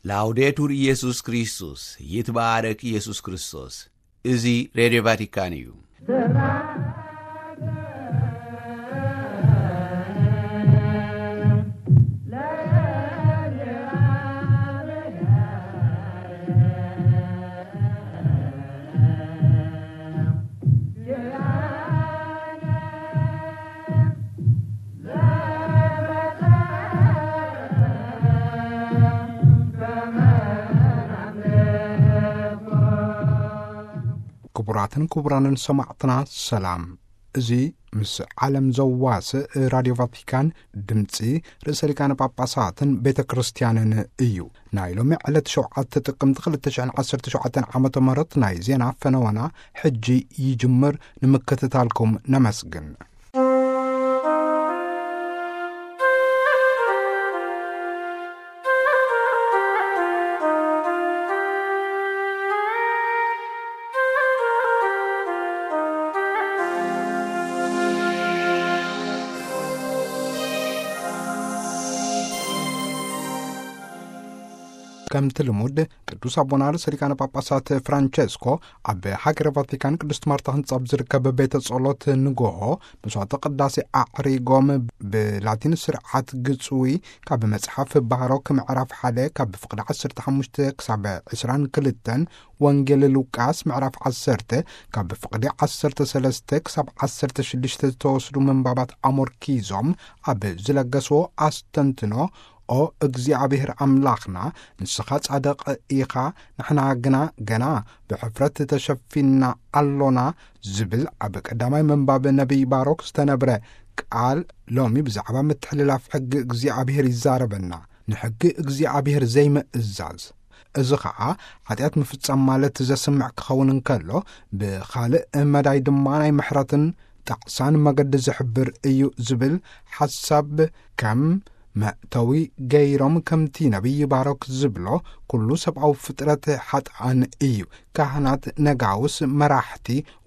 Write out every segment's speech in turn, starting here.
ላውዴቱር ኢየሱስ ክርስቶስ፣ ይትባረክ ኢየሱስ ክርስቶስ። እዚ ሬድዮ ቫቲካን እዩ። ክቡራትን ክቡራንን ሰማዕትና ሰላም። እዚ ምስ ዓለም ዘዋስእ ራድዮ ቫቲካን ድምፂ ርእሰ ሊቃነ ጳጳሳትን ቤተ ክርስቲያንን እዩ። ናይ ሎሚ ዕለት ሸውዓተ ጥቅምቲ ክልተ ሽሕን ዓሰርተ ሸውዓተን ዓመተ ምህረት ናይ ዜና ፈነወና ሕጂ ይጅምር። ንምክትታልኩም ነመስግን። ከምቲ ልሙድ ቅዱስ ኣቦና ርእሰ ሊቃነ ጳጳሳት ፍራንቸስኮ ኣብ ሃገረ ቫቲካን ቅድስት ማርታ ህንጻ ኣብ ዝርከብ ቤተ ጸሎት ንጎሆ መስዋዕተ ቅዳሴ ኣዕሪጎም ብላቲን ስርዓት ግጽዊ ካብ መጽሓፍ ባሮክ ምዕራፍ ሓደ ካብ ፍቕዲ ዓሰርተ ሓሙሽተ ክሳብ ዕስራን ክልተን፣ ወንጌል ሉቃስ ምዕራፍ ዓሰርተ ካብ ፍቕዲ ዓሰርተ ሰለስተ ክሳብ ዓሰርተ ሽዱሽተ ዝተወስዱ ምንባባት ኣሞርኪዞም ኣብ ዝለገስዎ ኣስተንትኖ፣ "ኦ እግዚኣብሔር ኣምላኽና፣ ንስኻ ጻድቕ ኢኻ፣ ንሕና ግና ገና ብሕፍረት ተሸፊንና ኣሎና" ዝብል ኣብ ቀዳማይ ምንባብ ነቢይ ባሮክ ዝተነብረ ቃል፣ ሎሚ ብዛዕባ ምትሕልላፍ ሕጊ እግዚኣብሔር ይዛረበና፣ ንሕጊ እግዚኣብሔር ዘይምእዛዝ። እዚ ኸዓ ሓጢኣት ምፍጻም ማለት ዘስምዕ ክኸውን እንከሎ፣ ብኻልእ መዳይ ድማ ናይ ምሕረትን ጣዕሳን መገዲ ዝሕብር እዩ ዝብል ሓሳብ ከም መእተዊ ገይሮም፣ ከምቲ ነቢይ ባሮክ ዝብሎ፣ ኩሉ ሰብኣዊ ፍጥረት ሓጥኣን እዩ። ካህናት፣ ነጋውስ፣ መራሕቲ፣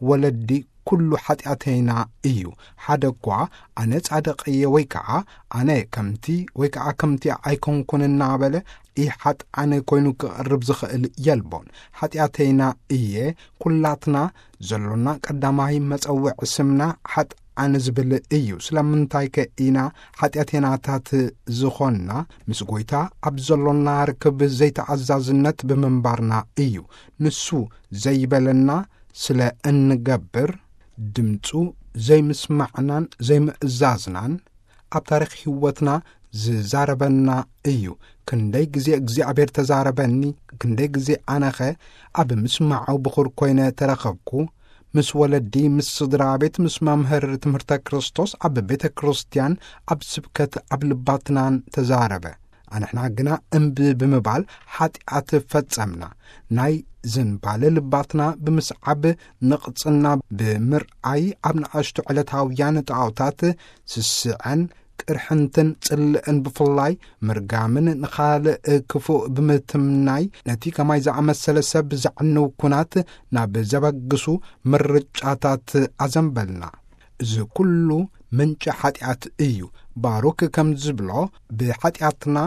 ወለዲ፣ ኩሉ ሓጢኣተይና እዩ። ሓደ እኳ ኣነ ጻድቕ እየ ወይ ከኣ ኣነ ከምቲ ወይ ከኣ ከምቲ ኣይኮንኩን እናበለ ኢሓጥኣን ኮይኑ ክቐርብ ዝኽእል የልቦን። ሓጢኣተይና እየ። ኩላትና ዘሎና ቀዳማይ መጸውዒ ስምና ሓጥኣን ዝብል እዩ። ስለምንታይከ ኢና ሓጢኣተይናታት ዝኾንና? ምስ ጐይታ ኣብ ዘሎና ርክብ ዘይተኣዛዝነት ብምንባርና እዩ። ንሱ ዘይበለና ስለ እንገብር፣ ድምጹ ዘይምስማዕናን ዘይምእዛዝናን ኣብ ታሪኽ ህይወትና ዝዛረበና እዩ። ክንደይ ግዜ እግዚኣብሔር ተዛረበኒ፣ ክንደይ ግዜ ኣነኸ ኣብ ምስማዑ ብኹር ኮይነ ተረኸብኩ። ምስ ወለዲ፣ ምስ ስድራ ቤት፣ ምስ መምህር ትምህርተ ክርስቶስ፣ ኣብ ቤተ ክርስቲያን፣ ኣብ ስብከት፣ ኣብ ልባትናን ተዛረበ። ኣንሕና ግና እምቢ ብምባል ሓጢኣት ፈጸምና። ናይ ዝንባለ ልባትና ብምስዓብ፣ ንቕጽና ብምርኣይ፣ ኣብ ንኣሽቱ ዕለታውያን ጣዖታት ስስዐን ቅርሕንትን ጽልእን ብፍላይ ምርጋምን ንኻልእ ክፉእ ብምትምናይ፣ ነቲ ከማይ ዝኣመሰለ ሰብ ዘዕንው ኩናት ናብ ዘበግሱ ምርጫታት ኣዘንበልና። እዚ ኩሉ ምንጪ ሓጢኣት እዩ። ባሩክ ከም ዝብሎ፣ ብሓጢኣትና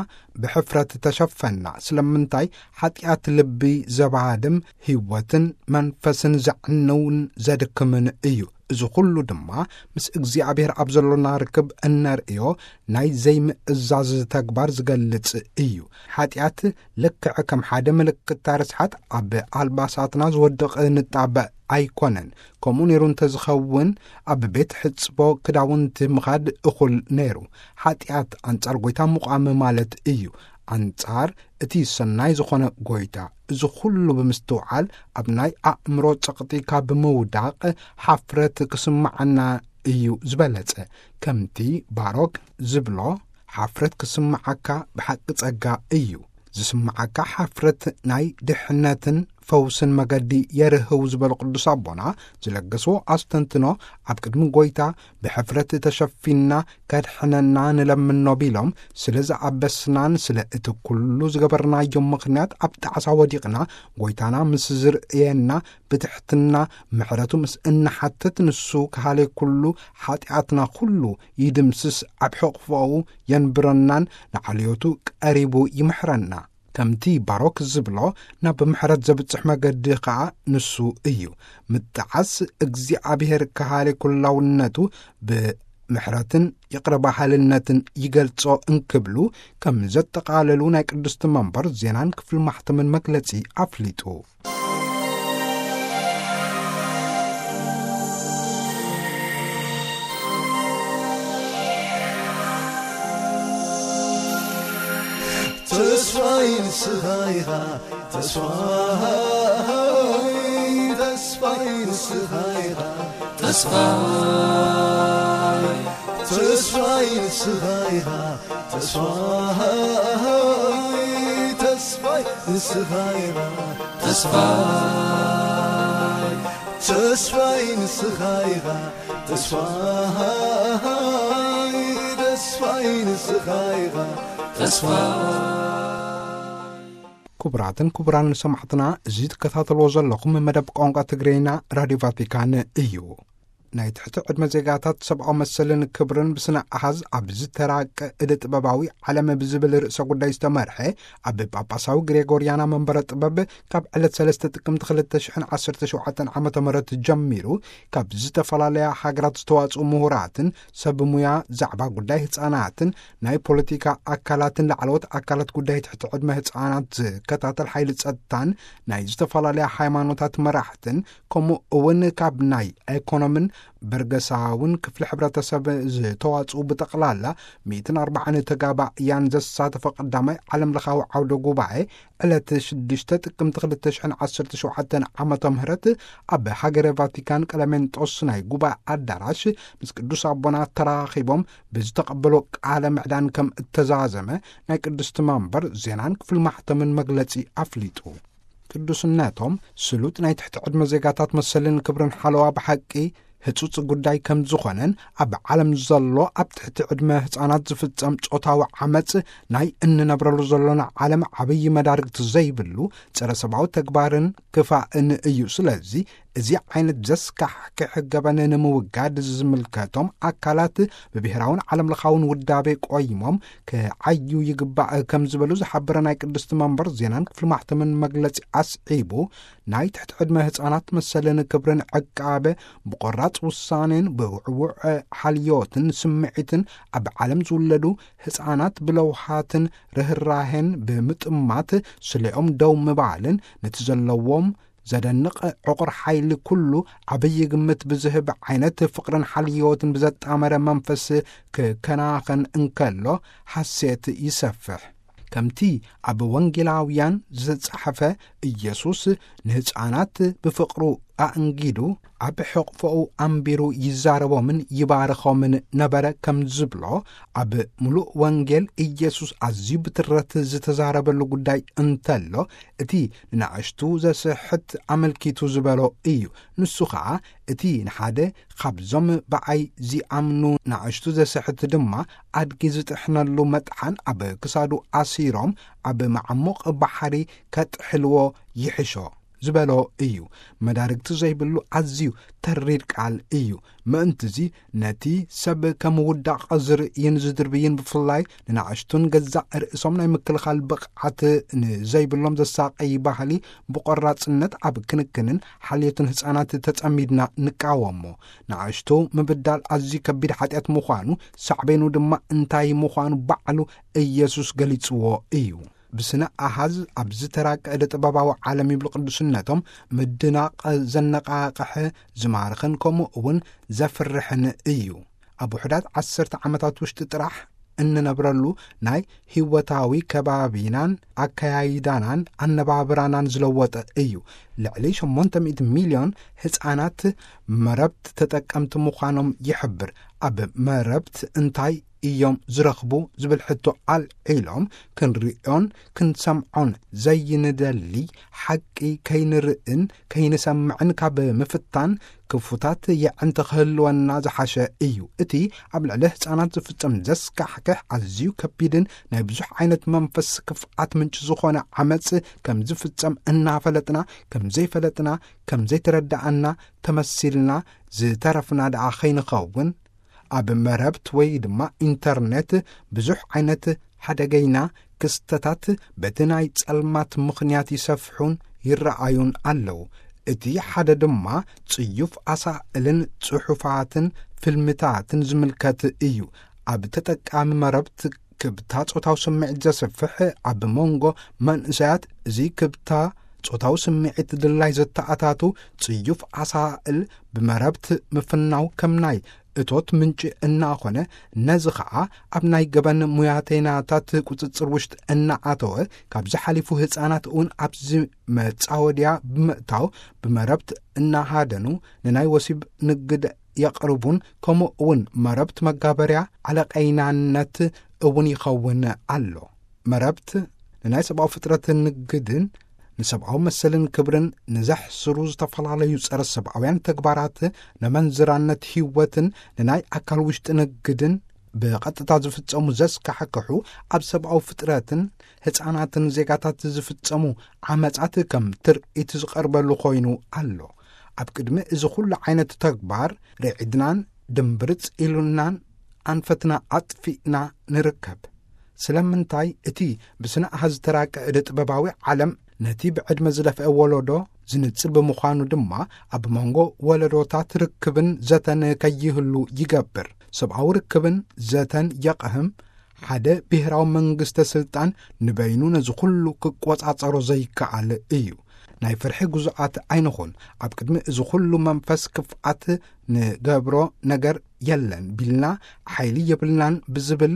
ብሕፍረት ተሸፈና። ስለምንታይ? ሓጢኣት ልቢ ዘባድም፣ ህይወትን መንፈስን ዘዕንውን ዘድክምን እዩ። እዚ ኩሉ ድማ ምስ እግዚኣብሔር ኣብ ዘሎና ርክብ እነርእዮ ናይ ዘይምእዛዝ ተግባር ዝገልጽ እዩ። ሓጢኣት ልክዕ ከም ሓደ ምልክታ ርስሓት ኣብ ኣልባሳትና ዝወድቕ ንጣብ ኣይኮነን። ከምኡ ነይሩ እንተዝኸውን፣ ኣብ ቤት ሕጽቦ ክዳውንቲ ምኻድ እኹል ነይሩ። ሓጢኣት ኣንጻር ጐይታ ምቋም ማለት እዩ። ኣንጻር እቲ ሰናይ ዝኾነ ጐይታ። እዚ ኹሉ ብምስትውዓል፣ ኣብ ናይ ኣእምሮ ጸቕጢ ካብ ምውዳቕ፣ ሓፍረት ክስምዓና እዩ ዝበለጸ። ከምቲ ባሮክ ዝብሎ፣ ሓፍረት ክስምዓካ ብሓቂ ጸጋ እዩ። ዝስምዓካ ሓፍረት ናይ ድሕነትን ፈውስን መገዲ የርህው ዝበሉ ቅዱስ ኣቦና፣ ዝለገስዎ ኣስተንትኖ፣ ኣብ ቅድሚ ጐይታ ብሕፍረት ተሸፊንና ከድሕነና ንለምኖ ቢሎም፣ ስለ ዝኣበስናን ስለ እቲ ኩሉ ዝገበርናዮ ምኽንያት ኣብ ጣዕሳ ወዲቕና፣ ጐይታና ምስ ዝርእየና ብትሕትና ምሕረቱ ምስ እንሓትት፣ ንሱ ከሃልየ ኩሉ ሓጢኣትና ኩሉ ይድምስስ፣ ኣብ ሕቕፎኡ የንብረናን ንዓልዮቱ ቀሪቡ ይምሕረና። ከምቲ ባሮክ ዝብሎ፣ ናብ ምሕረት ዘብጽሕ መገዲ ኸኣ ንሱ እዩ። ምጥዓስ እግዚኣብሔር ከሃሊ ኩላውነቱ ብምሕረትን ይቕረ በሃልነትን ይገልጾ እንክብሉ ከም ዘጠቓለሉ ናይ ቅድስቲ መንበር ዜናን ክፍሊ ማሕተምን መግለጺ ኣፍሊጡ። ተስፋይ ንስኻ ኢኻ፣ ተስፋይ፣ ተስፋይ ንስኻ ኢኻ፣ ተስፋይ፣ ተስፋይ ንስኻ ኢኻ፣ ተስፋይ፣ ተስፋይ ንስኻ ኢኻ፣ ተስፋይ፣ ተስፋይ ንስኻ ኢኻ፣ ተስፋይ፣ ተስፋይ ንስኻ ኢኻ፣ ተስፋይ። ክቡራትን ክቡራን ሰማዕትና፣ እዚ ትከታተልዎ ዘለኹም መደብ ቋንቋ ትግርኛ ራድዮ ቫቲካን እዩ። ናይ ትሕቲ ዕድመ ዜጋታት ሰብኣዊ መሰልን ክብርን ብስነ ኣሃዝ ኣብ ዝተራቀ እደ ጥበባዊ ዓለም ብዝብል ርእሰ ጉዳይ ዝተመርሐ ኣብ ጳጳሳዊ ግሬጎርያና መንበረ ጥበብ ካብ ዕለት ሰለስተ ጥቅምቲ ክልተ ሽሕን ዓሰርተ ሸውዓተን ዓመተ ምህረት ጀሚሩ ካብ ዝተፈላለያ ሃገራት ዝተዋጽኡ ምሁራትን ሰብ ሙያ ዛዕባ ጉዳይ ህጻናትን ናይ ፖለቲካ ኣካላትን ላዕለዎት ኣካላት ጉዳይ ትሕቲ ዕድመ ህጻናት ዝከታተል ሓይሊ ጸጥታን ናይ ዝተፈላለያ ሃይማኖታት መራሕትን ከምኡ እውን ካብ ናይ ኤኮኖምን በርገሳውን ክፍሊ ሕብረተሰብ ዝተዋጽኡ ብጠቕላላ ሚእትን ኣርባዓን ተጋባእያን ዘሳተፈ ቀዳማይ ዓለም ለኻዊ ዓውደ ጉባኤ ዕለት ሽዱሽተ ጥቅምቲ ክልተ ሽሕን ዓሰርተ ሸውዓተን ዓመተ ምህረት ኣብ ሃገረ ቫቲካን ቀለሜንጦስ ናይ ጉባኤ ኣዳራሽ ምስ ቅዱስ ኣቦና ተራኺቦም ብዝተቐበሎ ቃለ ምዕዳን ከም እተዛዘመ ናይ ቅድስቲ መንበር ዜናን ክፍሊ ማሕተምን መግለጺ ኣፍሊጡ። ቅዱስነቶም ስሉጥ ናይ ትሕቲ ዕድመ ዜጋታት መሰልን ክብርን ሓለዋ ብሓቂ ህጹጽ ጉዳይ ከም ዝኾነን ኣብ ዓለም ዘሎ ኣብ ትሕቲ ዕድመ ህጻናት ዝፍጸም ጾታዊ ዓመጽ ናይ እንነብረሉ ዘሎና ዓለም ዓብዪ መዳርግቲ ዘይብሉ ጸረ ሰብኣዊ ተግባርን ክፋእን እዩ። ስለዚ እዚ ዓይነት ዘስካሕክሕ ገበን ንምውጋድ ዝምልከቶም ኣካላት ብብሔራውን ዓለም ለኻውን ውዳቤ ቆይሞም ክዓዩ ይግባእ ከም ዝበሉ ዝሓበረ ናይ ቅድስቲ መንበር ዜናን ክፍሊ ማሕተምን መግለጺ ኣስዒቡ፣ ናይ ትሕቲ ዕድመ ህጻናት መሰልን ክብርን ዕቃበ ብቆራጽ ውሳኔን ብውዕውዕ ሓልዮትን ስምዒትን ኣብ ዓለም ዝውለዱ ህጻናት ብለውሃትን ርህራሄን ብምጥማት ስሌኦም ደው ምባልን ነቲ ዘለዎም ዘደንቕ ዕቑር ሓይሊ ኩሉ ዓብዪ ግምት ብዝህብ ዓይነት ፍቕርን ሓልዮትን ብዘጣመረ መንፈስ ክከናኸን እንከሎ ሓሴት ይሰፍሕ። ከምቲ ኣብ ወንጌላውያን ዝተጻሕፈ፣ ኢየሱስ ንህጻናት ብፍቕሩ ኣእንጊዱ ኣብ ሕቕፎኡ ኣንቢሩ ይዛረቦምን ይባርኾምን ነበረ ከም ዝብሎ፣ ኣብ ምሉእ ወንጌል ኢየሱስ ኣዝዩ ብትረት ዝተዛረበሉ ጉዳይ እንተሎ፣ እቲ ንናእሽቱ ዘስሕት ኣመልኪቱ ዝበሎ እዩ። ንሱ ኸኣ፣ እቲ ንሓደ ካብዞም ብኣይ ዚኣምኑ ናእሽቱ ዘስሕት ድማ ኣድጊ ዝጥሕነሉ መጥሓን ኣብ ክሳዱ ኣሲሮም ኣብ መዓሙቕ ባሕሪ ከጥሕልዎ ይሕሾ ዝበሎ እዩ። መዳርግቲ ዘይብሉ ኣዝዩ ተሪር ቃል እዩ። ምእንትዚ ነቲ ሰብ ከም ውዳቕ ዝርእይን ዝድርብይን ብፍላይ ንናእሽቱን ገዛእ ርእሶም ናይ ምክልኻል ብቕዓት ንዘይብሎም ዘሳቐይ ባህሊ ብቆራጽነት ኣብ ክንክንን ሓልዮትን ህጻናት ተጸሚድና ንቃወሞ። ንኣሽቱ ምብዳል ኣዝዩ ከቢድ ሓጢኣት ምዃኑ፣ ሳዕቤኑ ድማ እንታይ ምዃኑ ባዕሉ ኢየሱስ ገሊጽዎ እዩ። ብስነ ኣሃዝ ኣብ ዝተራቀ እደ ጥበባዊ ዓለም ይብሉ ቅዱስነቶም፣ ምድናቕ ዘነቓቕሕ፣ ዝማርኽን ከምኡ እውን ዘፍርሕን እዩ። ኣብ ውሑዳት ዓሰርተ ዓመታት ውሽጢ ጥራሕ እንነብረሉ ናይ ህይወታዊ ከባቢናን ኣከያይዳናን ኣነባብራናን ዝለወጠ እዩ። ልዕሊ ሸሞንተ ሚእቲ ሚልዮን ህጻናት መረብት ተጠቀምቲ ምዃኖም ይሕብር። ኣብ መረብት እንታይ እዮም ዝረኽቡ ዝብል ሕቶ ኣልዒሎም ክንሪኦን ክንሰምዖን ዘይንደሊ ሓቂ ከይንርእን ከይንሰምዕን ካብ ምፍታን ክፉታት የዕንቲ ክህልወና ዝሓሸ እዩ። እቲ ኣብ ልዕሊ ህጻናት ዝፍጸም ዘስካሕክሕ ኣዝዩ ከቢድን ናይ ብዙሕ ዓይነት መንፈስ ክፍኣት ምንጪ ዝኾነ ዓመጽ ከም ዝፍጸም እናፈለጥና ከም ዘይፈለጥና ከም ዘይተረዳእና ተመሲልና ዝተረፍና ደኣ ከይንኸውን ኣብ መረብት ወይ ድማ ኢንተርኔት ብዙሕ ዓይነት ሓደገይና ክስተታት በቲ ናይ ጸልማት ምኽንያት ይሰፍሑን ይረኣዩን ኣለዉ። እቲ ሓደ ድማ ጽዩፍ ኣሳእልን ጽሑፋትን ፊልምታትን ዝምልከት እዩ። ኣብ ተጠቃሚ መረብ ክብታ ጾታዊ ስምዒት ዘስፍሕ ኣብ መንጎ መንእሰያት እዚ ክብታ ጾታዊ ስምዒት ድላይ ዘተኣታቱ ጽዩፍ ኣሳእል ብመረብት ምፍናው ከም ናይ እቶት ምንጪ እናኾነ፣ ነዚ ኸዓ ኣብ ናይ ገበን ሙያተይናታት ቁጽጽር ውሽጢ እናኣተወ፣ ካብዚ ሓሊፉ ህፃናት እውን ኣብዚ መጻወድያ ብምእታው ብመረብት እናሃደኑ ንናይ ወሲብ ንግድ የቕርቡን ከምኡ እውን መረብት መጋበርያ ዓለቐይናነት እውን ይኸውን ኣሎ። መረብት ንናይ ሰብኣዊ ፍጥረት ንግድን ንሰብኣዊ መሰልን ክብርን ንዘሕስሩ ዝተፈላለዩ ጸረ ሰብኣውያን ተግባራት፣ ንመንዝራነት ህይወትን ንናይ ኣካል ውሽጢ ንግድን ብቐጥታ ዝፍጸሙ ዘስካሕክሑ፣ ኣብ ሰብኣዊ ፍጥረትን ህፃናትን ዜጋታት ዝፍጸሙ ዓመጻት ከም ትርኢት ዝቐርበሉ ኮይኑ ኣሎ። ኣብ ቅድሚ እዚ ኩሉ ዓይነት ተግባር ርዒድናን ድምብርጽ ኢሉናን ኣንፈትና ኣጥፊእና ንርከብ። ስለምንታይ እቲ ብስነ ኣሃዝ ዝተራቀ እደ ጥበባዊ ዓለም ነቲ ብዕድመ ዝደፍአ ወለዶ ዝንጽል ብምዃኑ ድማ፣ ኣብ መንጎ ወለዶታት ርክብን ዘተን ከይህሉ ይገብር። ሰብኣዊ ርክብን ዘተን የቕህም። ሓደ ብሄራዊ መንግስተ ስልጣን ንበይኑ ነዚ ኩሉ ክቆጻጸሮ ዘይከኣል እዩ። ናይ ፍርሒ ግዙኣት ኣይንኹን። ኣብ ቅድሚ እዚ ኩሉ መንፈስ ክፍኣት ንገብሮ ነገር የለን ቢልና፣ ሓይሊ የብልናን ብዝብል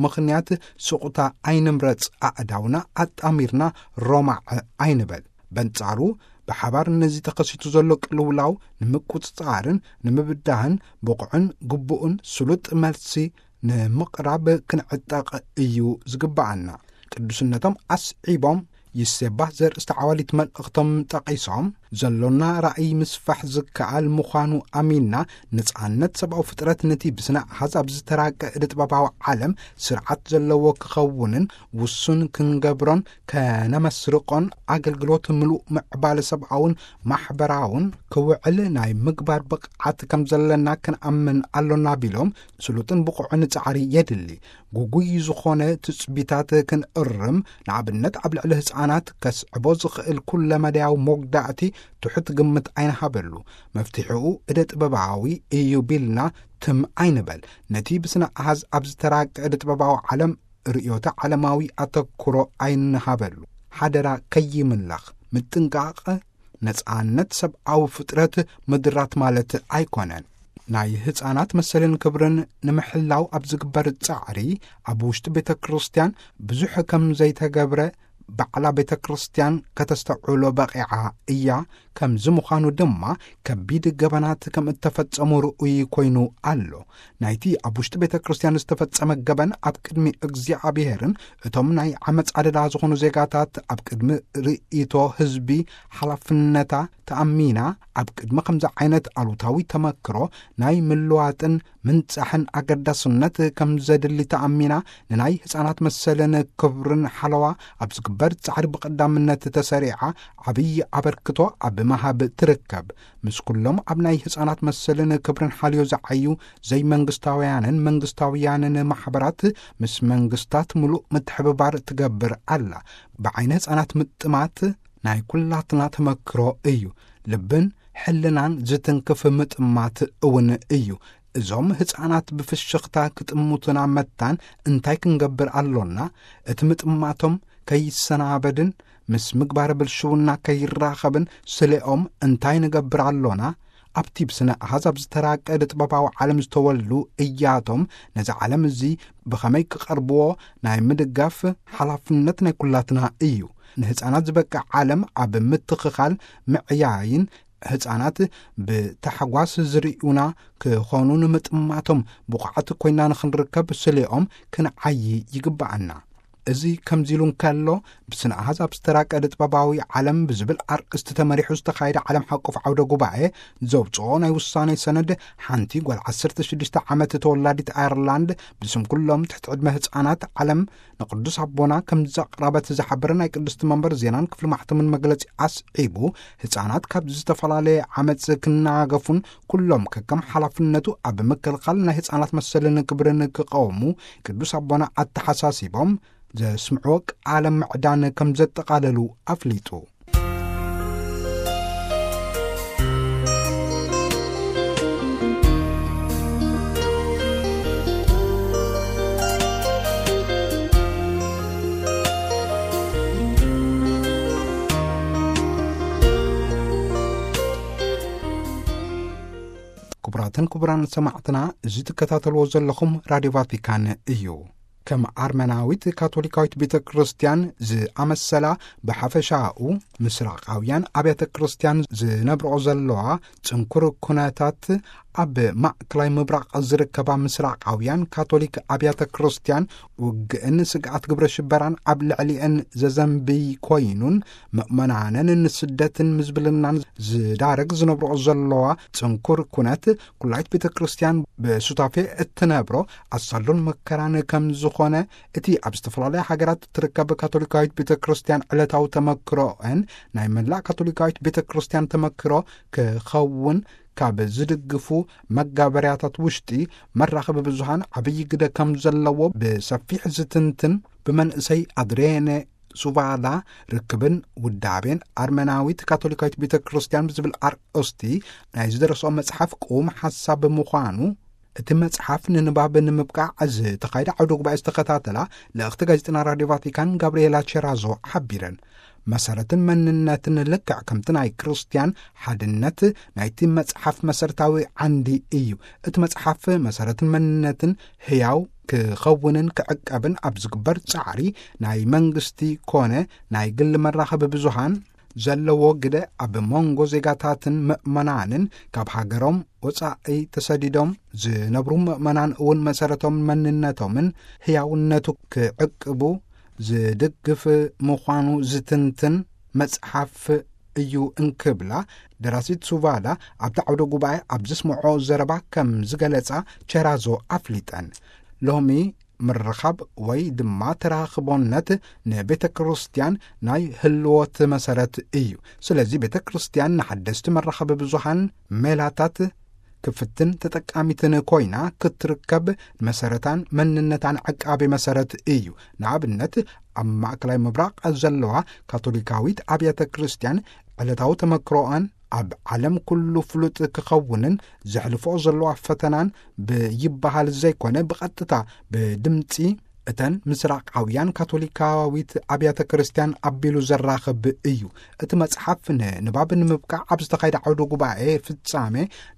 ምኽንያት ስቑታ ኣይንምረጽ። ኣእዳውና ኣጣሚርና ሮማዕ ኣይንበል። በንጻሩ፣ ብሓባር ነዚ ተኸሲቱ ዘሎ ቅልውላው ንምቁጽጻርን ንምብዳህን ብቑዕን ግቡእን ስሉጥ መልሲ ንምቕራብ ክንዕጠቕ እዩ ዝግብኣና። ቅዱስነቶም ኣስዒቦም፣ ይሴባህ ዘርእስቲ ዓዋሊት መልእኽቶም ጠቒሶም፣ ዘሎና ራእይ ምስፋሕ ዝከኣል ምዃኑ ኣሚንና፣ ነጻነት ሰብኣዊ ፍጥረት ነቲ ብስነ ኣሃዝ ኣብ ዝተራቀ እደ ጥበባዊ ዓለም ስርዓት ዘለዎ ክኸውንን ውሱን ክንገብሮን ከነመስርቆን፣ ኣገልግሎት ምሉእ ምዕባለ ሰብኣውን ማሕበራውን ክውዕል ናይ ምግባር ብቕዓት ከም ዘለና ክንኣምን ኣሎና ቢሎም፣ ስሉጥን ብቑዕን ጻዕሪ የድሊ። ጉጉይ ዝኾነ ትጽቢታት ክንእርም፣ ንኣብነት ኣብ ልዕሊ ህጻናት ከስዕቦ ዝኽእል ኩለመዳያዊ መጉዳእቲ ትሑት ግምት ኣይንሃበሉ። መፍትሒኡ እደ ጥበባዊ እዩ ቢልና ትም ኣይንበል። ነቲ ብስነ ኣሃዝ ኣብ ዝተራቀ እደ ጥበባዊ ዓለም ርእዮተ ዓለማዊ ኣተኩሮ ኣይንሃበሉ። ሓደራ ከይምለኽ ምጥንቃቕ። ነጻነት ሰብኣዊ ፍጥረት ምድራት ማለት ኣይኮነን። ናይ ህፃናት መሰልን ክብርን ንምሕላው ኣብ ዝግበር ጻዕሪ፣ ኣብ ውሽጢ ቤተ ክርስቲያን ብዙሕ ከም ዘይተገብረ ባዕላ ቤተ ክርስቲያን ከተስተውዕሎ በቒዓ እያ። ከምዚ ምዃኑ ድማ፣ ከቢድ ገበናት ከም እተፈጸሙ ርኡይ ኮይኑ ኣሎ። ናይቲ ኣብ ውሽጢ ቤተ ክርስቲያን ዝተፈጸመ ገበን ኣብ ቅድሚ እግዚኣብሔርን እቶም ናይ ዓመፅ ኣደዳ ዝኾኑ ዜጋታት ኣብ ቅድሚ ርእይቶ ህዝቢ ሓላፍነታ ተኣሚና፣ ኣብ ቅድሚ ከምዚ ዓይነት ኣሉታዊ ተመክሮ ናይ ምልዋጥን ምንጻሕን ኣገዳስነት ከም ዘድሊ ተኣሚና፣ ንናይ ህፃናት መሰልን ክብርን ሓለዋ ኣብ ዝግበር ጻዕሪ ብቐዳምነት ተሰሪዓ ዓብዪ ኣበርክቶ ኣብ መሃብ ትርከብ። ምስ ኩሎም ኣብ ናይ ህፃናት መሰልን ክብርን ሓልዮ ዝዓዩ ዘይመንግስታውያንን መንግስታውያንን ማሕበራት፣ ምስ መንግስታት ምሉእ ምትሕብባር ትገብር ኣላ። ብዓይኒ ህፃናት ምጥማት ናይ ኩላትና ተመክሮ እዩ። ልብን ሕልናን ዝትንክፍ ምጥማት እውን እዩ። እዞም ህፃናት ብፍሽኽታ ክጥምቱና መታን እንታይ ክንገብር ኣሎና? እቲ ምጥማቶም ከይሰናበድን ምስ ምግባረ ብልሽውና ከይራኸብን ስሌኦም እንታይ ንገብር ኣሎና? ኣብቲ ብስነ ኣሃዝ ኣብ ዝተራቀደ ጥበባዊ ዓለም ዝተወልዱ እያቶም፣ ነዚ ዓለም እዚ ብኸመይ ክቐርብዎ ናይ ምድጋፍ ሓላፍነት ናይ ኩላትና እዩ። ንህፃናት ዝበቅዕ ዓለም ኣብ ምትኽኻል፣ ምዕያይን ህፃናት ብታሕጓስ ዝርእዩና ክኾኑ ንምጥማቶም ብቑዓት ኮይና ንኽንርከብ ስሌኦም ክንዓዪ ይግብኣና። እዚ ከምዚ ኢሉ እንከሎ፣ ብስነ ኣሃዝ ኣብ ዝተራቀደ ጥበባዊ ዓለም ብዝብል ኣርእስቲ ተመሪሑ ዝተኻየደ ዓለም ሓቆፍ ዓውደ ጉባኤ ዘውፅኦ ናይ ውሳኔ ሰነድ፣ ሓንቲ ጓል ዓሰርተ ሽዱሽተ ዓመት ተወላዲት ኣየርላንድ ብስም ኩሎም ትሕቲ ዕድመ ህፃናት ዓለም ንቅዱስ ኣቦና ከም ዘቕረበት ዝሓበረ ናይ ቅድስቲ መንበር ዜናን ክፍሊ ማሕተምን መግለጺ ኣስዒቡ፣ ህፃናት ካብ ዝተፈላለየ ዓመፅ ክናገፉን ኩሎም ከከም ሓላፍነቱ ኣብ ምክልኻል ናይ ህፃናት መሰልን ክብርን ክቐውሙ ቅዱስ ኣቦና ኣተሓሳሲቦም፣ ዘስምዕዎ ቃለ ምዕዳን ከም ዘጠቓለሉ ኣፍሊጡ። ክቡራትን ክቡራን ሰማዕትና፣ እዚ ትከታተልዎ ዘለኹም ራድዮ ቫቲካን እዩ። ከም ኣርመናዊት ካቶሊካዊት ቤተ ክርስቲያን ዝኣመሰላ፣ ብሓፈሻኡ ምስራቃውያን ኣብያተ ክርስቲያን ዝነብርኦ ዘለዋ ጽንኩር ኩነታት፣ ኣብ ማእከላይ ምብራቕ ዝርከባ ምስራቃውያን ካቶሊክ ኣብያተ ክርስቲያን ውግእን ስግኣት ግብረ ሽበራን ኣብ ልዕሊአን ዘዘንብይ ኮይኑን፣ ምእመናንን ንስደትን ምዝብልናን ዝዳረግ ዝነብርኦ ዘለዋ ጽንኩር ኩነት፣ ኩላይት ቤተ ክርስቲያን ብሱታፌ እትነብሮ ኣሳሉን መከራን ከም ዝኾነ፣ እቲ ኣብ ዝተፈላለያ ሃገራት እትርከብ ካቶሊካዊት ቤተ ክርስቲያን ዕለታዊ ተመክሮአን ናይ መላእ ካቶሊካዊት ቤተ ክርስቲያን ተመክሮ ክኸውን ካብ ዝድግፉ መጋበርያታት ውሽጢ፣ መራኸቢ ብዙሃን ዓብዪ ግደ ከም ዘለዎ ብሰፊሕ ዝትንትን፣ ብመንእሰይ ኣድሬነ ሱቫላ ርክብን ውዳቤን ኣርመናዊት ካቶሊካዊት ቤተ ክርስቲያን ብዝብል ኣርእስቲ ናይ ዝደረስኦ መጽሓፍ ቅዉም ሓሳብ ምዃኑ፣ እቲ መጽሓፍ ንንባብ ንምብቃዕ ዝተኻየደ ዓውደ ጉባኤ ዝተኸታተላ ልእኽቲ ጋዜጠና ራድዮ ቫቲካን ጋብርኤላ ቸራዞ ሓቢረን። መሰረትን መንነትን ልክዕ ከምቲ ናይ ክርስቲያን ሓድነት ናይቲ መጽሓፍ መሰረታዊ ዓንዲ እዩ። እቲ መጽሓፍ መሰረትን መንነትን ህያው ክኸውንን ክዕቀብን ኣብ ዝግበር ጻዕሪ፣ ናይ መንግስቲ ኮነ ናይ ግል መራኸቢ ብዙሃን ዘለዎ ግደ፣ ኣብ መንጎ ዜጋታትን ምእመናንን፣ ካብ ሃገሮም ወጻኢ ተሰዲዶም ዝነብሩ ምእመናን እውን መሰረቶም መንነቶምን ህያውነቱ ክዕቅቡ ዝድግፍ ምዃኑ ዝትንትን መጽሓፍ እዩ እንክብላ፣ ደራሲት ሱቫላ ኣብቲ ዓውደ ጉባኤ ኣብ ዘስምዖ ዘረባ ከም ዝገለጻ ቸራዞ ኣፍሊጠን። ሎሚ ምርኻብ ወይ ድማ ተራኽቦነት ንቤተ ክርስቲያን ናይ ህልወት መሰረት እዩ። ስለዚ ቤተ ክርስቲያን ንሓደስቲ መራኸቢ ብዙሃን ሜላታት ክፍትን ተጠቃሚትን ኮይና ክትርከብ፣ መሰረታን መንነታን ዕቃቤ መሰረት እዩ። ንኣብነት፣ ኣብ ማእከላይ ምብራቕ ዘለዋ ካቶሊካዊት ኣብያተ ክርስቲያን ዕለታዊ ተመክሮኣን ኣብ ዓለም ኩሉ ፍሉጥ ክኸውንን ዘሕልፎ ዘለዋ ፈተናን ብይበሃል ዘይኮነ፣ ብቐጥታ ብድምጺ እተን ምስራቃውያን ካቶሊካዊት ኣብያተ ክርስቲያን ኣቢሉ ዘራኽብ እዩ። እቲ መጽሓፍ ንንባብ ንምብቃዕ ኣብ ዝተኻየደ ዓውደ ጉባኤ ፍጻሜ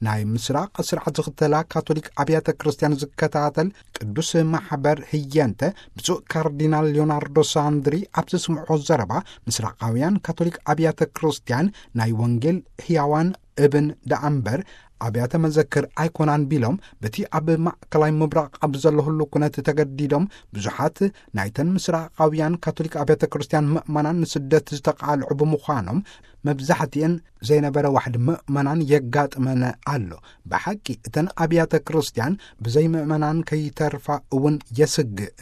ናይ ምስራቕ ስርዓት ዝኽተላ ካቶሊክ ኣብያተ ክርስቲያን ዝከታተል ቅዱስ ማሕበር ህየንተ፣ ብፁዕ ካርዲናል ሊዮናርዶ ሳንድሪ ኣብ ዘስምዖ ዘረባ፣ ምስራቃውያን ካቶሊክ ኣብያተ ክርስቲያን ናይ ወንጌል ህያዋን እብን ደኣ እምበር ኣብያተ መዘክር ኣይኮናን ቢሎም፣ በቲ ኣብ ማእከላይ ምብራቕ ኣብ ዘለሁሉ ኩነት ተገዲዶም ብዙሓት ናይተን ምስራቃውያን ካቶሊክ ኣብያተ ክርስቲያን ምእመናን ንስደት ዝተቃልዑ ብምዃኖም፣ መብዛሕትኤን ዘይነበረ ዋሕዲ ምእመናን የጋጥመን ኣሎ። ብሓቂ እተን ኣብያተ ክርስቲያን ብዘይ ምእመናን ከይተርፋ እውን የስግእ።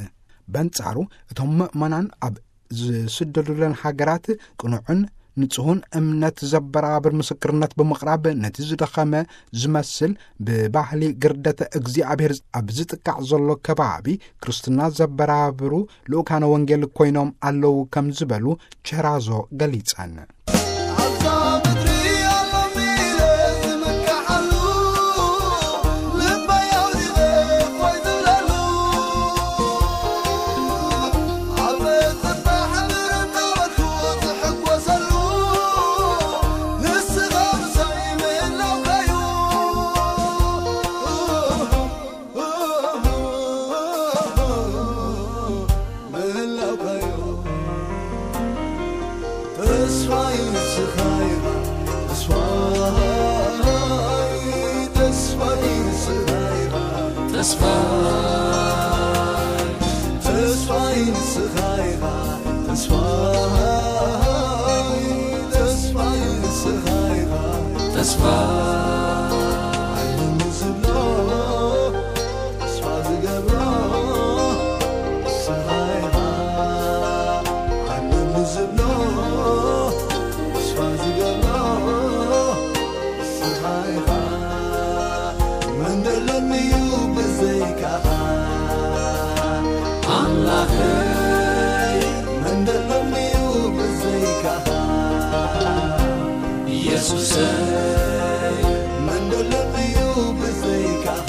በንጻሩ፣ እቶም ምእመናን ኣብ ዝስደዱለን ሃገራት ቅኑዕን ንጹህን እምነት ዘበራብር ምስክርነት ብምቕራብ፣ ነቲ ዝደኸመ ዝመስል ብባህሊ ግርደተ እግዚኣብሔር ኣብ ዝጥቃዕ ዘሎ ከባቢ ክርስትና ዘበራብሩ ልኡካነ ወንጌል ኮይኖም ኣለዉ ከም ዝበሉ ቸራዞ ገሊጸን። ኣብዛ ምድሪ ኣሎ ኢለ ዝምካሓሉ፣ ልበይ ኣውዲቐ እፎይ ዝብለሉ፣ ኣብ ጽባሕ ምርታወቱ ዝሕጎሰሉ፣ ንስኻ ምሳይ ምህላውካዩ። ምህላውካዮ። ተስፋይ ንስኻ ኢኻ፣ ተስፋይ፣ ተስፋይ ንስኻ ኢኻ፣ ተስፋይ፣ ተስፋይ ንስኻ ኢኻ፣ ተስፋይ፣ ተስፋይ ንስኻ ኢኻ፣ ተስፋይ። ዓለሙ ዝብሎ ተስፋ ዝገብሮ ንስኻ ኢኻ። ዓለሙ ዝብሎ ተስፋ ዝገብሮ ንስኻ ኢኻ። መን ደሎኒ እዩ ብዘይካኻ ኣምላኽ? ኢየሱሰይ፣ መን ደሎ እዩ ብዘይካኻ?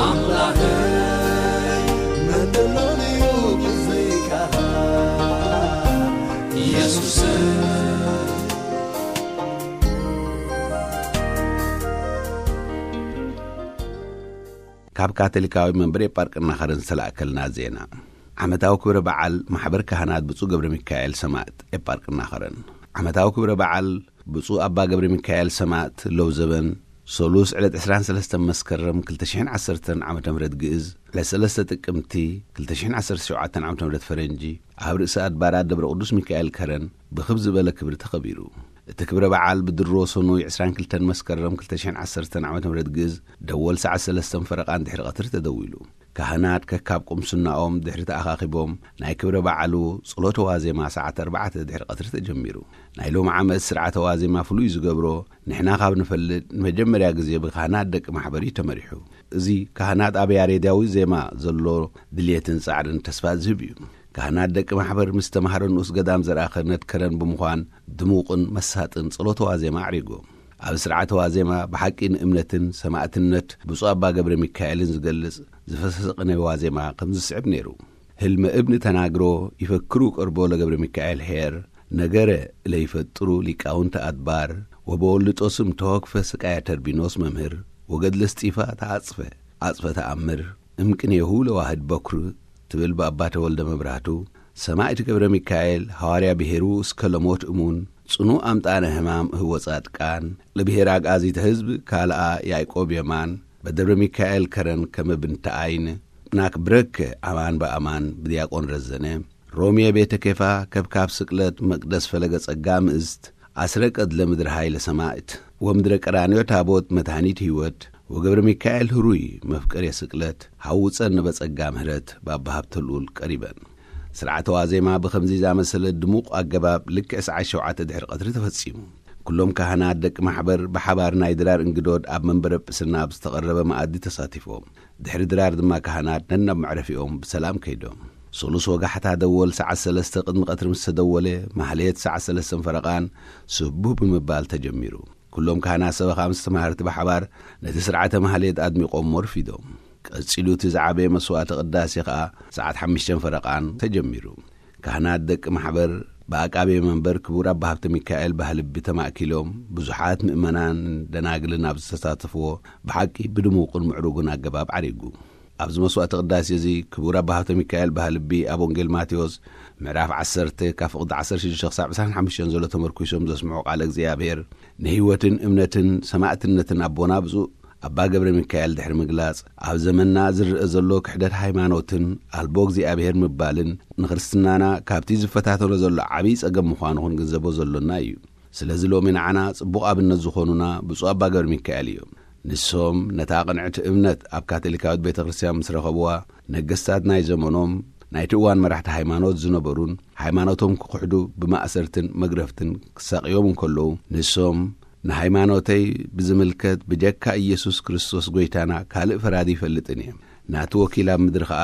ኣምላኸይ፣ መን ደሎ እዩ ብዘይካኻ? ኢየሱሰይ። ካብ ካቶሊካዊ መንበሪ ኤጳርቅና ኸረን ዝተላእከልና ዜና። ዓመታዊ ክብረ በዓል ማሕበር ካህናት ብፁዕ ገብረ ሚካኤል ሰማእት ኤጳርቅና ኸረን። ዓመታዊ ክብረ በዓል ብፁዕ ኣባ ገብረ ሚካኤል ሰማእት ለውዘበን፣ ሰሉስ ዕለት ዕስራን ሰለስተን መስከረም ክልተ ሽሕን ዓሰርተን ዓመተ ምህረት ግእዝ፣ ዕለት ሰለስተ ጥቅምቲ ክልተ ሽሕን ዓሰርተ ሸውዓተን ዓመተ ምህረት ፈረንጂ፣ ኣብ ርእሰ ኣድባራት ደብረ ቅዱስ ሚካኤል ከረን ብኽብ ዝበለ ክብሪ ተኸቢሩ። እቲ ክብረ በዓል ብድሮ ሰኑይ ዕስራን ክልተን መስከረም ክልተ ሽሕን ዓሰርተን ዓመተ ምህረት ግእዝ፣ ደወል ሰዓት ሰለስተን ፈረቓን ድሕሪ ቀትሪ ተደዊሉ። ካህናት ከካብ ቁምስናኦም ድሕሪ ተኣኻኺቦም፣ ናይ ክብረ በዓሉ ጸሎተ ዋዜማ ሰዓት ኣርባዕተ ድሕሪ ቀትሪ ተጀሚሩ። ናይ ሎሚ ዓመት ስርዓተ ዋዜማ ፍሉይ ዝገብሮ፣ ንሕና ካብ ንፈልጥ ንመጀመርያ ግዜ ብካህናት ደቂ ማሕበር እዩ ተመሪሑ። እዚ ካህናት ኣብ ያሬዳዊ ዜማ ዘሎ ድልየትን ጻዕርን ተስፋ ዝህብ እዩ። ካህናት ደቂ ማሕበር ምስ ተማሃሮ ንኡስ ገዳም ዘርኣ ክህነት ከረን ብምዃን ድሙቕን መሳጥን ጸሎተ ዋዜማ ኣዕሪጎም። ኣብ ስርዓተ ዋዜማ ብሓቂ ንእምነትን ሰማእትነት ብፁዕ ኣባ ገብረ ሚካኤልን ዝገልጽ ዝፈሰሰ ቅኔ ዋዜማ ከም ዝስዕብ ነይሩ። ህልመ እብን ተናግሮ ይፈክሩ ቀርቦ ለገብረ ሚካኤል ሄር፣ ነገረ ለይፈጥሩ ሊቃውንት ኣድባር፣ ወበወልጦ ስም ተወክፈ ስቃያ ተርቢኖስ መምህር፣ ወገድለ እስጢፋ ተዓጽፈ፣ ዓጽፈ ተኣምር፣ እምቅኔሁ ለዋህድ በኩር ትብል ብኣባ ተወልደ መብራህቱ፣ ሰማዕት ገብረ ሚካኤል፣ ሃዋርያ ብሔሩ እስከ ለሞት እሙን፣ ጽኑዕ ኣምጣነ ህማም እህወ ጻድቃን፣ ለብሔር አግአዚተ ሕዝብ ካልኣ ያዕቆብ የማን፣ በደብረ ሚካኤል ከረን ከመ ብንተ ዓይን፣ ናክብረከ ኣማን በኣማን ብዲያቆን ረዘነ፣ ሮሜ ቤተ ኬፋ ከብካብ ስቅለት መቅደስ ፈለገ ጸጋ ምእዝት፣ ኣስረ ቀድለ ምድረ ኃይለ ሰማዕት፣ ወምድረ ቀራንዮ ታቦት መድኃኒት ሕይወት፣ ወገብረ ሚካኤል ህሩይ መፍቀሬ ስቅለት፣ ሐውፀን ነበጸጋ ምህረት ባባ ሀብተ ልዑል ቀሪበን። ስርዓተ ዋዜማ ብኸምዚ ዛመሰለ ድሙቕ ኣገባብ ልክዕ ሰዓት ሸውዓተ ድሕሪ ቀትሪ ተፈጺሙ። ኩሎም ካህናት ደቂ ማሕበር ብሓባር ናይ ድራር እንግዶድ ኣብ መንበረ ጵስና ኣብ ዝተቐረበ መኣዲ ተሳቲፎም። ድሕሪ ድራር ድማ ካህናት ነናብ መዕረፊኦም ብሰላም ከይዶም። ሶሉስ ወጋሕታ ደወል ሰዓት ሰለስተ ቅድሚ ቀትሪ ምስ ተደወለ፣ ማህሌት ሰዓት ሰለስተን ፈረቓን ስቡህ ብምባል ተጀሚሩ። ኩሎም ካህናት ሰበኻ ምስ ተማሃርቲ ብሓባር ነቲ ስርዓተ ማህሌት ኣድሚቖም ወርፊዶም። ቀጺሉ እቲ ዝዓበየ መስዋዕተ ቅዳሴ ኸኣ ሰዓት ሓሙሽተን ፈረቓን ተጀሚሩ። ካህናት ደቂ ማሕበር ብኣቃቤ መንበር ክቡር ኣባ ሃብተ ሚካኤል ባህልቢ ተማእኪሎም፣ ብዙሓት ምእመናን ደናግልን ኣብ ዝተሳተፍዎ ብሓቂ ብድሙቕን ምዕሩግን ኣገባብ ዓሪጉ። ኣብዚ መስዋዕተ ቅዳሴ እዚ ክቡር ኣባ ሃብተ ሚካኤል ባህልቢ ኣብ ወንጌል ማቴዎስ ምዕራፍ ዓሰርተ ካብ ፍቕዲ ዓሰርተ ሽዱሽተ ክሳብ ዕስራን ሓሙሽተን ዘሎ ተመርኲሶም ዘስምዑ ቃለ እግዚኣብሔር ንህይወትን እምነትን ሰማዕትነትን ኣቦና ብፁዕ ኣባ ገብረ ሚካኤል ድሕሪ ምግላጽ፣ ኣብ ዘመንና ዝረአ ዘሎ ክሕደት ሃይማኖትን ኣልቦ እግዚኣብሔር ምባልን ንክርስትናና ካብቲ ዝፈታተኖ ዘሎ ዓብዪ ጸገም ምዃኑ ክንግንዘቦ ዘሎና እዩ። ስለዚ ሎሚ ንዓና ጽቡቕ ኣብነት ዝኾኑና ብፁዕ ኣባ ገብረ ሚካኤል እዮም። ንሶም ነታ ቅንዕቲ እምነት ኣብ ካቶሊካዊት ቤተ ክርስቲያን ምስ ረኸብዋ፣ ነገስታት ናይ ዘመኖም ናይቲ እዋን መራሕቲ ሃይማኖት ዝነበሩን፣ ሃይማኖቶም ክኽሕዱ ብማእሰርትን መግረፍትን ክሳቕዮም እንከለዉ፣ ንሶም ንሃይማኖተይ ብዝምልከት ብጀካ ኢየሱስ ክርስቶስ ጐይታና ካልእ ፈራዲ ይፈልጥን እየ። ናቱ ወኪል ኣብ ምድሪ ኸኣ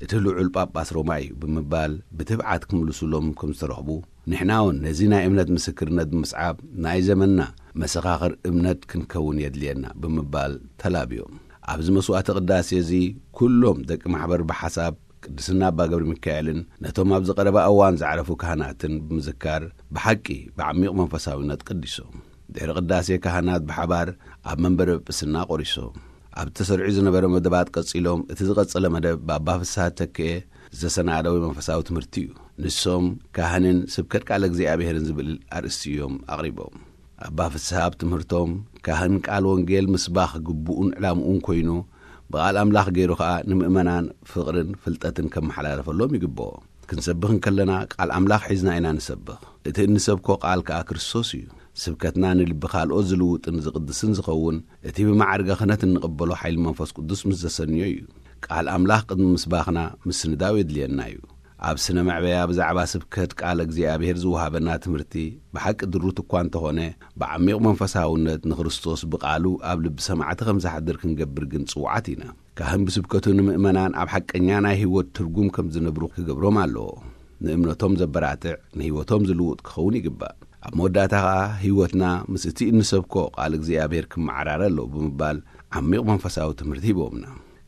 እቲ ልዑል ጳጳስ ሮማ እዩ ብምባል ብትብዓት ክምልሱሎም ከም ዝተረኽቡ፣ ንሕና እውን ነዚ ናይ እምነት ምስክርነት ብምስዓብ ናይ ዘመንና መሰኻኽር እምነት ክንከውን የድልየና ብምባል ተላብዮም። ኣብዚ መስዋዕተ ቅዳሴ እዚ ኩሎም ደቂ ማሕበር ብሓሳብ ቅድስና ኣባ ገብረ ሚካኤልን ነቶም ኣብዚ ቀረባ እዋን ዝዓረፉ ካህናትን ብምዝካር ብሓቂ ብዓሚቕ መንፈሳዊነት ቀዲሶም። ድሕሪ ቅዳሴ ካህናት ብሓባር ኣብ መንበረ ጵስና ቆሪሶም። ኣብ ተሰሪዑ ዝነበረ መደባት ቀጺሎም፣ እቲ ዝቐጸለ መደብ ብኣባ ፍስሃ ተክኤ ዝተሰናደወ መንፈሳዊ ትምህርቲ እዩ። ንሶም ካህንን ስብከት ቃለ እግዚኣብሔርን ዝብል ኣርእስቲ እዮም ኣቕሪቦም። ኣባ ፍስሃ ኣብ ትምህርቶም፣ ካህን ቃል ወንጌል ምስባኽ ግቡኡን ዕላምኡን ኮይኑ፣ ብቓል ኣምላኽ ገይሩ ኸኣ ንምእመናን ፍቕርን ፍልጠትን ከመሓላለፈሎም ይግብኦ። ክንሰብኽ እንከለና ቃል ኣምላኽ ሒዝና ኢና ንሰብኽ። እቲ እንሰብኮ ቃል ከኣ ክርስቶስ እዩ። ስብከትና ንልቢ ካልኦት ዝልውጥን ዝቕድስን ዝኸውን፣ እቲ ብመዓርገ ክህነት እንቕበሎ ሓይሊ መንፈስ ቅዱስ ምስ ዘሰንዮ እዩ። ቃል ኣምላኽ ቅድሚ ምስባኽና ምስንዳው የድልየና እዩ። ኣብ ስነ መዕበያ ብዛዕባ ስብከት ቃል እግዚኣብሔር ዝወሃበና ትምህርቲ ብሓቂ ድሩት እኳ እንተኾነ፣ ብዓሚቕ መንፈሳውነት ንክርስቶስ ብቓሉ ኣብ ልቢ ሰማዕቲ ከም ዝሓድር ክንገብር ግን ጽውዓት ኢና። ካህን ብስብከቱ ንምእመናን ኣብ ሓቀኛ ናይ ህይወት ትርጉም ከም ዝነብሩ ክገብሮም ኣለዎ። ንእምነቶም ዘበራትዕ፣ ንህይወቶም ዝልውጥ ክኸውን ይግባእ። ኣብ መወዳእታ ኸኣ ህይወትና ምስ እቲ እንሰብኮ ቃል እግዚኣብሔር ክመዓራረ ኣለዎ ብምባል ዓሚቕ መንፈሳዊ ትምህርቲ ሂቦምና።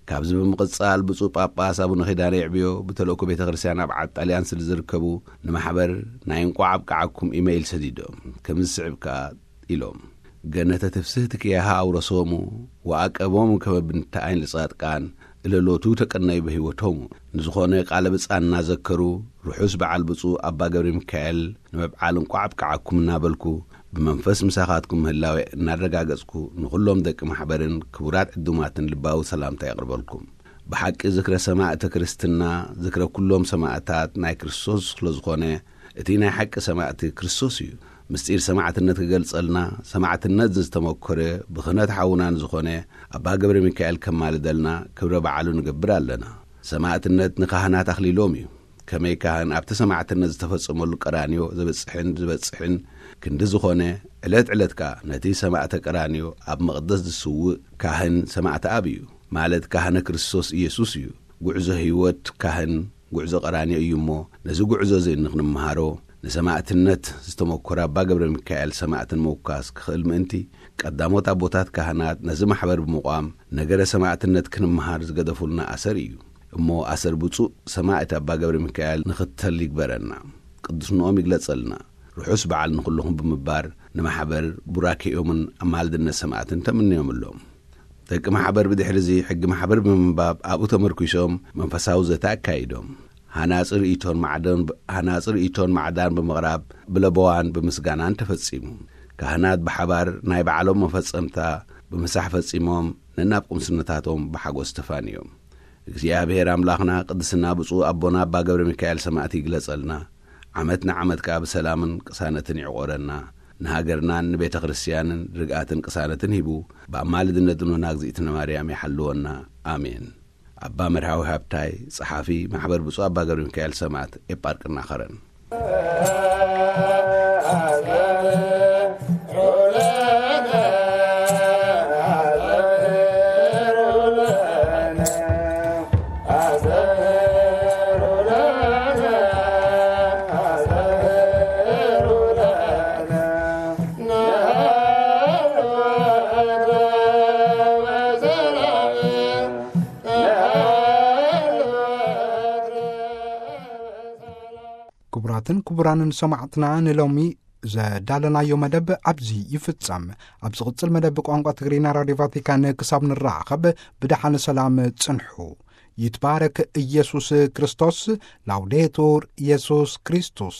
ካብዚ ብምቕጻል ብፁዕ ጳጳስ ኣቡነ ኪዳነ የዕብዮ ብተልእኮ ቤተ ክርስቲያን ኣብ ዓድ ጣልያን ስለ ዝርከቡ ንማሕበር ናይ እንቋዕ ኣብቅዓኩም ኢመይል ሰዲዶም። ከምዚ ዝስዕብ ከኣ ኢሎም። ገነተ ትፍስህቲ ኪያሃ ኣውረሶሙ ወኣቀቦሙ ከመ ብንተ ዓይን ለጻድቃን እለሎቱ ተቀነዩ በህይወቶሙ። ንዝኾነ ቃለ ብጻ እናዘከሩ ርሑስ በዓል ብፁዕ ኣባ ገብረ ሚካኤል ንምብዓል እንቋዕ ኣብቅዓኩም እናበልኩ ብመንፈስ ምሳኻትኩም ምህላወ እናረጋገጽኩ ንኹሎም ደቂ ማሕበርን ክቡራት ዕዱማትን ልባዊ ሰላምታ የቕርበልኩም። ብሓቂ ዝክረ ሰማእተ ክርስትና ዝክረ ኩሎም ሰማእታት ናይ ክርስቶስ ስለ ዝኾነ እቲ ናይ ሓቂ ሰማእቲ ክርስቶስ እዩ። ምስጢር ሰማዕትነት ክገልጸልና ሰማዕትነት ዝተመኮረ ብኽህነት ሓውና ንዝኾነ ኣባ ገብረ ሚካኤል ከማልደልና ክብረ በዓሉ ንገብር ኣለና። ሰማዕትነት ንካህናት ኣኽሊሎም እዩ። ከመይ ካህን ኣብቲ ሰማዕትነት ዝተፈጸመሉ ቀራንዮ ዘብጽሕን ዝበጽሕን ክንዲ ዝኾነ ዕለት ዕለት ከኣ ነቲ ሰማዕተ ቀራንዮ ኣብ መቕደስ ዝስውእ ካህን ሰማዕተ ኣብ እዩ። ማለት ካህነ ክርስቶስ ኢየሱስ እዩ። ጉዕዞ ህይወት ካህን ጉዕዞ ቀራንዮ እዩ እሞ ነዚ ጉዕዞ እዚ ንኽንመሃሮ ንሰማዕትነት ዝተመኮረ ኣባ ገብረ ሚካኤል ሰማዕትን ምውካስ ክኽእል ምእንቲ ቀዳሞት ኣቦታት ካህናት ነዚ ማሕበር ብምቋም ነገረ ሰማዕትነት ክንመሃር ዝገደፉልና ኣሰር እዩ። እሞ ኣሰር ብፁዕ ሰማዕት ኣባ ገብረ ሚካኤል ንኽተል ይግበረና። ቅዱስንኦም ይግለጸልና። ርሑስ በዓል ንኹልኹም ብምባር ንማሕበር ቡራኬኦምን ኣማልድነት ሰማዕትን ተምንዮምሎም። ደቂ ማሕበር ብድሕሪ እዚ ሕጊ ማሕበር ብምንባብ ኣብኡ ተመርኪሶም መንፈሳዊ ዘተ ኣካይዶም። ሃናጺ ርእይቶን ማዕዶን ሃናጺ ርእይቶን ማዕዳን ብምቕራብ ብለበዋን ብምስጋናን ተፈጺሙ። ካህናት ብሓባር ናይ ባዕሎም መፈጸምታ ብምሳሕ ፈጺሞም ነናብ ቁምስነታቶም ብሓጎስ ተፋንዮም። እግዚኣብሔር ኣምላኽና ቅድስና ብፁዕ ኣቦና ኣባ ገብረ ሚካኤል ሰማእቲ ይግለጸልና። ዓመት ንዓመት ከኣ ብሰላምን ቅሳነትን ይዕቆረና። ንሃገርናን ንቤተ ክርስቲያንን ርግኣትን ቅሳነትን ሂቡ ብኣማልድነት እኖና እግዚኣብእትነ ማርያም ይሓልወና። ኣሜን። ኣባ መርሃዊ ሃብታይ፣ ጸሓፊ ማሕበር ብፁዕ ኣባ ገብረ ሚካኤል ሰማእት ኤጳርቅና ኸረን። ክቡራትን ክቡራንን ሰማዕትና፣ ንሎሚ ዘዳለናዮ መደብ ኣብዚ ይፍጸም። ኣብ ዝቕጽል መደብ ቋንቋ ትግርኛ ራድዮ ቫቲካን ክሳብ ንራኸብ ብደሓን ሰላም ጽንሑ። ይትባረክ ኢየሱስ ክርስቶስ። ላውዴቱር ኢየሱስ ክርስቶስ።